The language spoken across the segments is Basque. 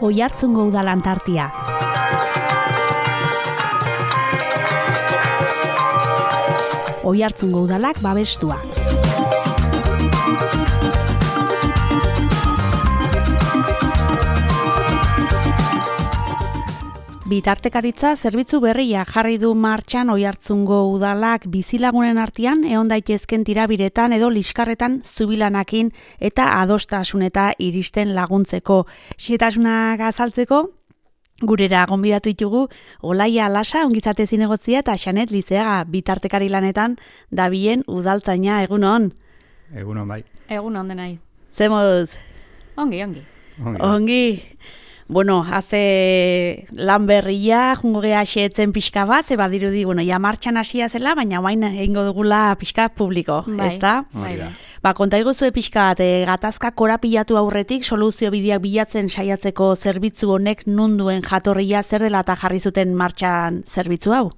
Oiartzungo Udalan tartea. Oiartzungo Udalak babestua. Bitartekaritza zerbitzu berria jarri du martxan Oiartzungo Udalak bizilagunen artean egon daitezken tirabiretan edo liskarretan zubilanakin eta adostasuneta iristen laguntzeko. Xehetasunak azaltzeko, gurera gonbidatu ditugu Olaia Alasa, ongizate zinegotzia, eta Xanet Lizeaga, bitartekari lanetan dabilen udaltzaina. Egunon? Egunon bai. Egunon denai. Ze moduz? Ongi. Bueno, haze lan berria, jungo geha xeetzen pixka bat, ze badirudi, ja martxan hasia zela, baina oain egingo dugula pixka publiko, ezta? Bai. Konta iguzue pixka bat, gatazka korapilatu aurretik, soluzio bideak bilatzen saiatzeko zerbitzu honek nunduen jatorria zer dela eta jarri zuten martxan zerbitzu hau?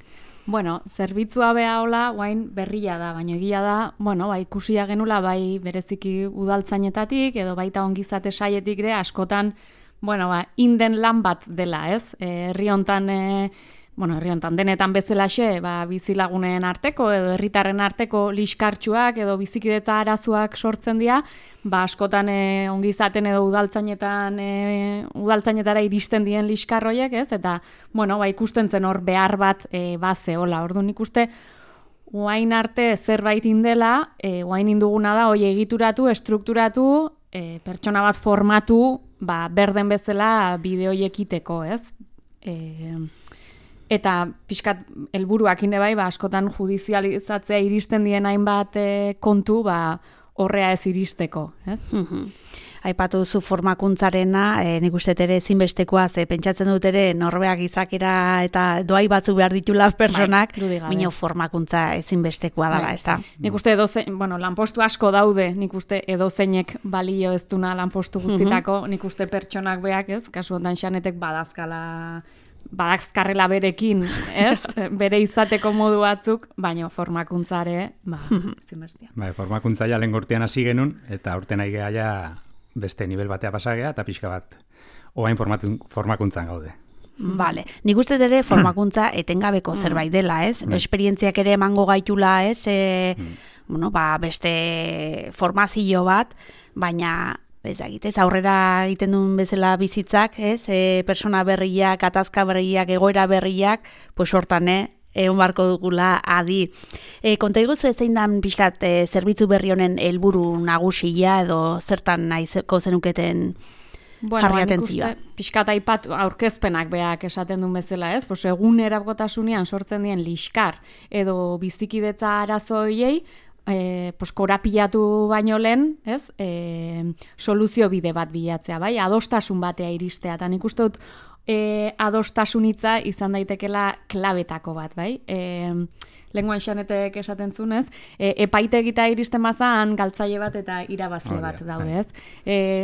Bueno, zerbitzua beha hola, guain berria da, baina egia da, ikusia genula, bai bereziki udaltzainetatik, edo baita ongizate saietik ere, askotan, inden lan bat dela, ez? Herri hontan denetan bezalaxe, bizilagunen arteko edo herritarren arteko liskartxuak edo bizikidetza arazoak sortzen dira, askotan ongizaten edo udaltzainetara iristen dien liskarroiek, ez? Eta, ikusten zen hor behar bat bazeola. Orduan ikuste, oain arte zerbait indela, oain induguna da, hoi egituratu, estrukturatu, pertsona bat formatu, berden bezala bideoiek iteko, ez? Eta pixkat helburuak inde bai, askotan judizializatzea iristen dien hainbat kontu, horrea ez iristeko, ez? Aipatu duzu formakuntzarena, nik uste ere ezinbestekoa, pentsatzen dut ere norbeak izakera eta doai batzu behar ditula personak, minio formakuntza ezinbestekoa dela, ez da? Nik uste lanpostu asko daude, nik uste edozeinek balio ez duna lanpostu guztitako, nik uste pertsonak beak, ez? Kasu ondan Xanetek badazkarrela berekin, ez? Bere izateko modu batzuk, baina formakuntzare, ezinbestea. Formakuntza ja lehen urtean hasi genuen, eta urtean nahi geha beste nivel batea pasagea, eta pixka bat oain formakuntzan gaude. Vale. Nik uste ere formakuntza etengabeko zerbait dela, ez? Esperientziak ere emango gaitula, ez? Beste formazio bat, baina ez aurrera egiten duen bezala bizitzak, ez? Persona berriak, gatazka berriak, egoera berriak, hortan, egon barko dugula adi. Konta iguzu zein dan pixkat zerbitzu berri honen helburu nagusia edo zertan nahizeko zenuketen jarri atentzioa? Pixkat aipat aurkezpenak beak esaten duen bezala, ez? Egun erabgotasunean sortzen dien liskar edo bizikidetza arazoiei, korapilatu baino lehen, ez? Soluzio bide bat bilatzea, bai? Adostasun batea iristea, eta nik uste dut adostasunitza izan daitekela klabetako bat, bai? Lenguan Xanetek esaten zunez, epaitegita iristen bazan galtzaile bat eta irabazi bat daude, ez?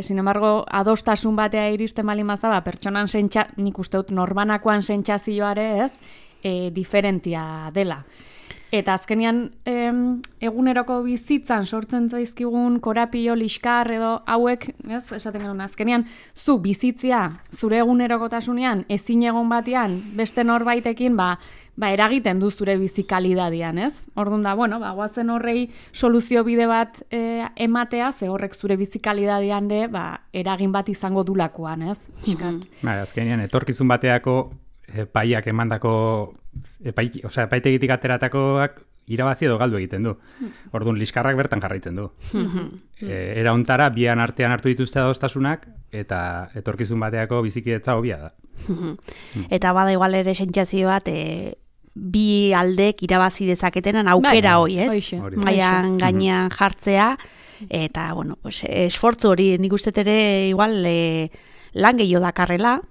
Sin embargo, adostasun batea iristen bali maza, pertsonan nik uste dut norbanakoan sentsazioare, ez? Diferentia dela. Eta azkenean eguneroko bizitzan sortzen zaizkigun korapilo, liskar edo hauek, ez, esaten genuen, azkenean zu bizitzia zure egunerokotasunean ezin egon batean beste norbaitekin eragiten du zure bizikalidadian, ez? Orduan da, guazen horrei soluzio bide bat ematea, ze horrek zure bizikalidadian eragin bat izango dulakoan, ez? Azkenean etorkizun bateako epaiak emandako epaitegitik ateratakoak irabazi edo galdu egiten du. Orduan, liskarrak bertan jarraitzen du. Era hontara, bian artean hartu dituzte adostasunak, eta etorkizun bateako bizikidetza hobia da. Eta bada igual ere sentsazio bat, bi aldek irabazi dezaketenan aukera hoi, ez? Maian gainean jartzea, eta, esfortzu hori nik uste ere igual lan gehiago dakarrela,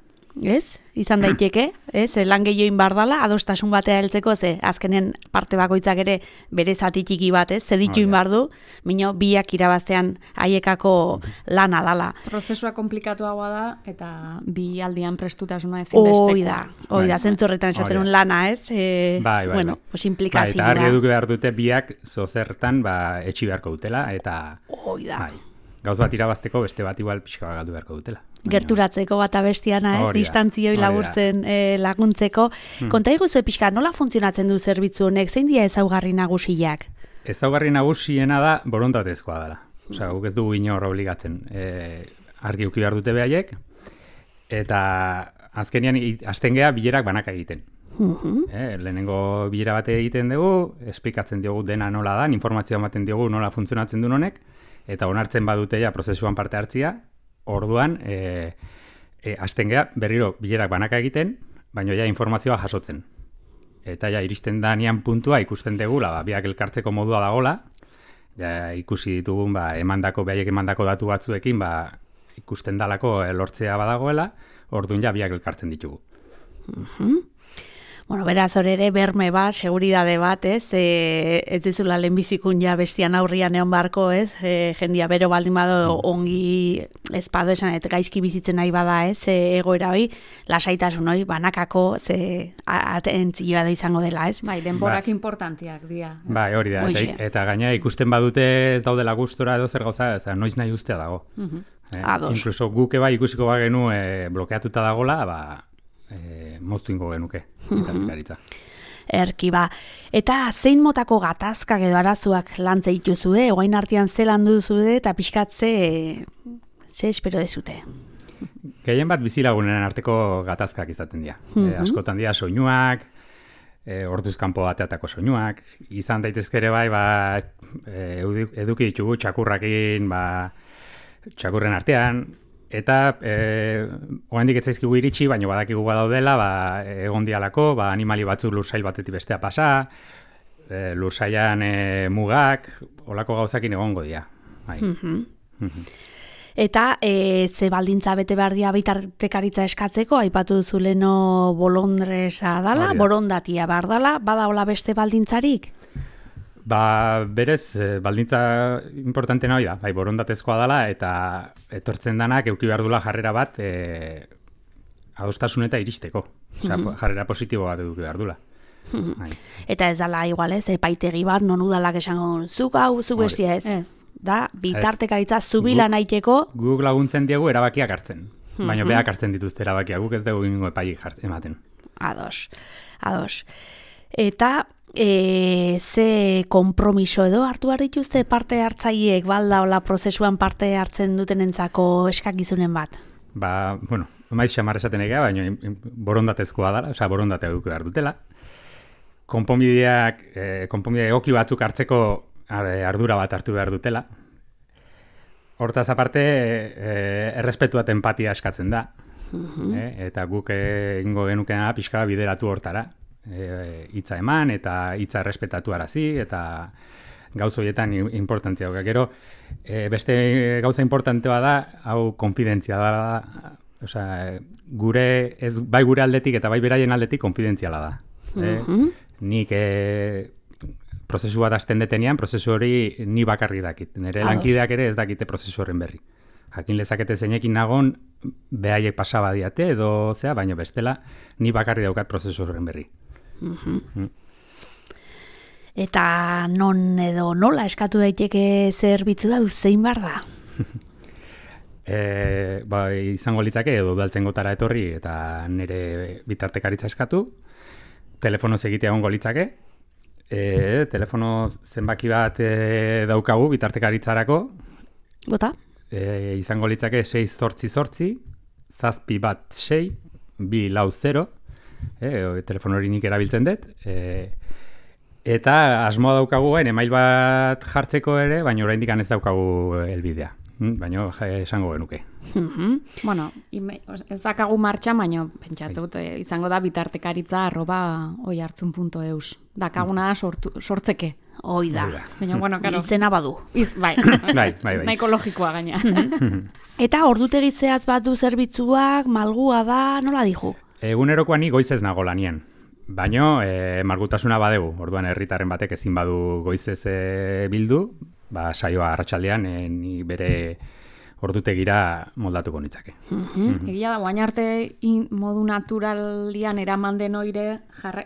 ez? Izan daiteke, ez? Lan gehioin bardala, adostasun batea heltzeko, ze azkenen parte bakoitzak ere bere zati txiki bat, ez? Zedituin bardu, mino biak irabaztean haiekako lana dala. Prozesua komplikatuagoa da, eta bi aldian prestutasuna ezinbesteko. Hoi da, zentzorretan esaten lana, ez? Implikazioa. Eta argi eduki behar dute biak zozertan etxi beharko dutela, eta... Hoi da. gauz bat irabazteko beste bat igual pixka bat galdu beharko dutela. Gerturatzeko bata bestiana, ez? Distantzioi laburtzen laguntzeko. Konta iguzu pixka, nola funtzionatzen du zerbitzu honek? Zein dira ezaugarri nagusiak? Ezaugarri nagusiena da borondatezkoa dela. Osea, guk ez dugu inor obligatzen. Argi uki behar dute behaiek, eta azkenean hasten gea bilerak banaka egiten. Lehenengo bilera bate egiten dugu, esplikatzen diogu dena nola da, informazioa ematen diogu nola funtzionatzen duen honek, eta onartzen badute ja prozesuan parte hartzia, orduan hasten gea berriro bilerak banaka egiten, baina ja informazioa jasotzen. Eta ja iristen danean puntua ikusten degula, biak elkartzeko modua dagola, ja ikusi ditugun behaiek emandako datu batzuekin ikusten dalako lortzea badagoela, orduan ja biak elkartzen ditugu. Bueno, beraz, hor ere, berme bat, seguridade bat, ez? Ez dizula lehenbizikun ja bestian aurrian egon barko, ez? Jendia bero baldin bado ongi espado esan, eta gaizki bizitzen nahi bada, ez? Egoera hoi, lasaitasun hoi, banakako, atentzioa da izango dela, ez? Bai, denborak importantiak dira. Bai, hori da, eta gaina ikusten badute ez daudela gustora edo zer gauza, eta noiz nahi ustea dago. Inkluso guke ikusiko bagenu blokeatuta dagola, moztu ingo genuke, bitartekaritza. Erki Eta zein motako gatazkak edo arazoak lantze dituzue, oain artean ze landu duzue eta pixkatze ze espero dezute? Gehien bat bizilagunen arteko gatazkak izaten dira. Askotan dira soinuak, orduz kanpo bateatako soinuak, izan daitezkere eduki ditugu txakurrakin, txakurren artean, eta oraindik ez zaizkigu iritsi, baina badakigu badaudela, egon dialako, animali batzuk lursail batetik bestea pasa, lursailan mugak, olako gauzakin egongo dira. Eta ze baldintza bete behar dira bitartekaritza eskatzeko, aipatu duzu leno bolondresa dala, borondatia behar dala, badaola beste baldintzarik? Berez, baldintza importantena hori da, borondatezkoa dela, eta etortzen danak euki behar dula jarrera bat adostasun eta iristeko. Jarrera positibo bat eduki behar dula. Eta ez dala igual ez, epaitegi bat, non udalak esango duen, zuk hau, zu besia ez. Da, bitartekaritza zubila nahiteko. Guk laguntzen diegu erabakiak hartzen. Baina beak hartzen dituzte erabakiak, guk ez dugu ingo epaik ematen. Ados. Eta ze kompromiso edo hartu behar dituzte parte hartzaileek balda hola prozesuan parte hartzen dutenentzako eskakizunen bat? Maiz xamar esaten egea, baina borondatezkoa dela, borondatea eduki behar dutela. Konponbide egoki batzuk hartzeko ardura bat hartu behar dutela. Hortaz aparte, errespetua eta empatia eskatzen da. Eta guk ingo genukena pixka bideratu hortara. Hitza eman eta hitza errespetatu arazi eta gauza horietan importantzia. Gero, beste gauza importantea da, hau konfidentzia da, bai gure aldetik eta bai beraien aldetik konfidentziala da. Nik prozesu bat hasten detenean, prozesu hori ni bakarri dakit. Nire lankideak ere ez dakite prozesu horren berri. Jakin lezakete zeinekin nagon, behaiek pasaba diate edo baina bestela, ni bakarri daukat prozesu horren berri. Eta non edo nola eskatu daiteke zerbitzu hau zein bar da? Izango litzake edo udaltzen gotara etorri eta nire bitartekaritza eskatu, telefonoz egitea egongo litzake, telefono zenbaki bat daukagu bitartekaritzarako. Bota? Izango litzake 688 716 240, telefono hori nik erabiltzen dut, eta asmoa daukagu email bat jartzeko ere, baina oraindik ez daukagu helbidea. Baina esango genuke. Bueno, ez dakagu martxan, baina pentsatzut izango da bitartekaritza@oihartzun.eus. Dakaguna da sortzeke. Hoi da. Baina, bueno, karo. Izena badu. Bai. Nahiko logikoa gaina. Eta ordutegi zehatz bat du zerbitzuak, malgua da, nola dihu? Egunerokoa ni goizez nago lanien. Baina malgutasuna badegu. Orduan herritarren batek ezin badu goizez bildu, saioa arratsaldean ni bere ordutegira moldatuko nitzake. Egia da, guain arte modu naturalian eraman den oire,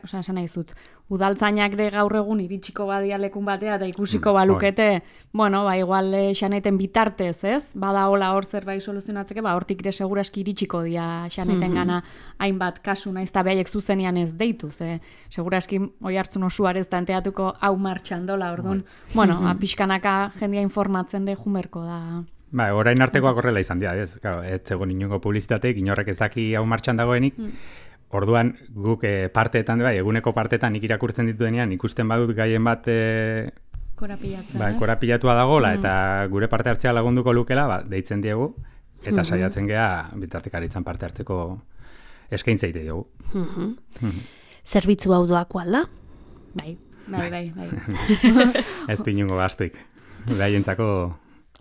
esan nahi zut, udaltzainak de gaur egun iritsiko badia lekun batea eta ikusiko balukete, bueno, igual Xaneten bitartez, ez? Bada hola hor zerbait soluzionatzeke, hortik ere seguraski iritsiko dia Xaneten gana hainbat kasu naiz eta behaiek zuzenean ez deitu, seguraski Oiartzun osoarez tanteatuko hau martxan dola, orduan, bueno, pixkanaka jendia informatzen de jumerko da. Orain artekoak horrela izan dira, ez? Ez zegoen inongo publizitateik, inorrek ez daki hau martxan dagoenik. Orduan, guk parteetan, eguneko parteetan nik irakurtzen dituenean, ikusten badut gaien bat korapilatua dagoela, eta gure parte hartzea lagunduko lukela, deitzen diegu, eta saiatzen gea bitartekaritzan parte hartzeko eskaintzeite diogu. Zerbitzu hau doako alda? Bai. Ez inongo gastuik. Gaientzako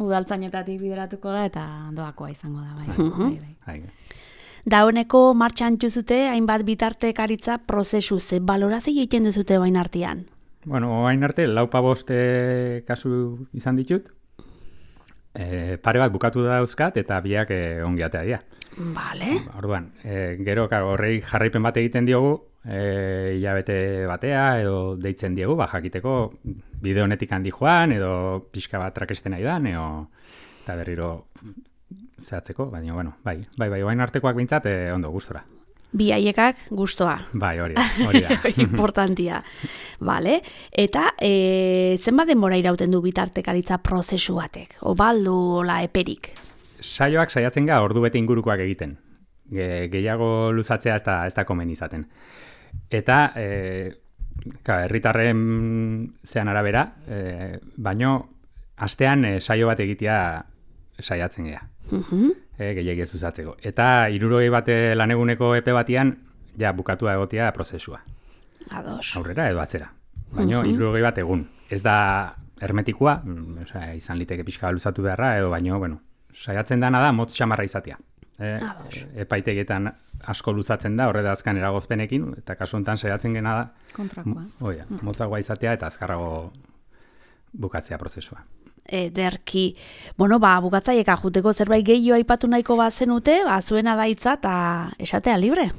udaltzainetatik bideratuko da eta doakoa izango da, bai. Dauneko martxan txuzute, hainbat bitartekaritza prozesu ze balorazio egiten duzute bain artean? Bueno, bain arte, 4-5 kasu izan ditut. Pare bat bukatu dauzkat eta biak ongiatea dira. Vale. Orduan, gero horrei jarraipen bat egiten diogu, hilabete batea edo deitzen diegu, jakiteko bide honetik handi joan edo pixka bat trakesten nahi dan eta berriro zehatzeko, baina bueno, bai, bain artekoak bintzat ondo gustora. Bi haiekak gustoa. Bai, hori da. Importantia. Vale. Eta zenbat denbora irauten du bitartekaritza prozesu batek? Obaldu ola eperik? Saioak saiatzen ga ordu bete ingurukoak egiten. Gehiago luzatzea ez da komen izaten. Eta herritarren zean arabera, baino astean saio bat egitea saiatzen gea. Gehiagiz luzatzeko. Eta 60 bat laneguneko epe batian ja bukatua egotea prozesua. Ados. Aurrera edo atzera. Baino 60 bat egun. Ez da hermetikoa, izan liteke pixka luzatu beharra edo baino, bueno, saiatzen dana da motz xamarra izatea. Epaitegietan asko luzatzen da, horreda azkan eragozpenekin, eta kasu honetan saiatzen gena da kontrakoa. Motzagoa izatea eta azkarrago bukatzea prozesua. Ederki, bueno, bukatzaieka juteko zerbait gehiago aipatu nahiko bazenute, zuena da hitza eta esatea libre.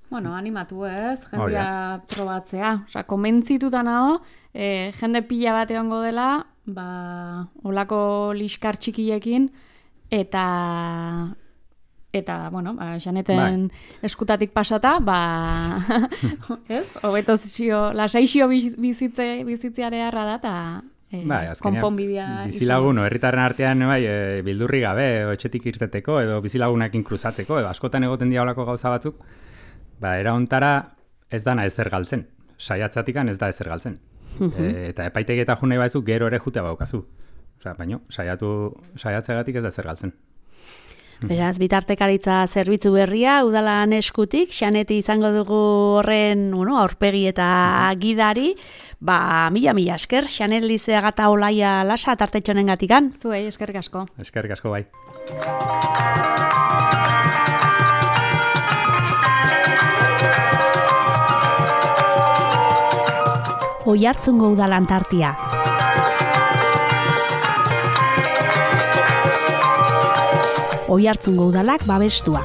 Bueno, animatu ez, jendia probatzea. Komentzituta nago, jende pila bat egongo dela, olako liskar txikiekin, eta bueno, Xaneten eskutatik pasata, ez? Hobeto lasaixio bizitzeare harra da, eta konponbidea. Bizilagun, herritarren artean bildurri gabe, etxetik irteteko, edo bizilagunekin kruzatzeko, edo askotan egoten dira olako gauza batzuk, era hontara ez dana ezer galtzen. Saiatzatikan ez da ezer galtzen. Eta epaitegi eta junei baizu gero ere jutea baukazu. Baina, saiatzeagatik ez da ezer galtzen. Beraz, bitartekaritza zerbitzu berria, udalan eskutik, Xaneti izango dugu horren aurpegi eta gidari, mila esker, Xanet Lizeaga eta Olaia Lasa tartetxonen gatikan. Zuei, eskerrik asko. Eskerrik asko, bai. Oiartzungo udalan tartia. Oiartzungo udalak babestua.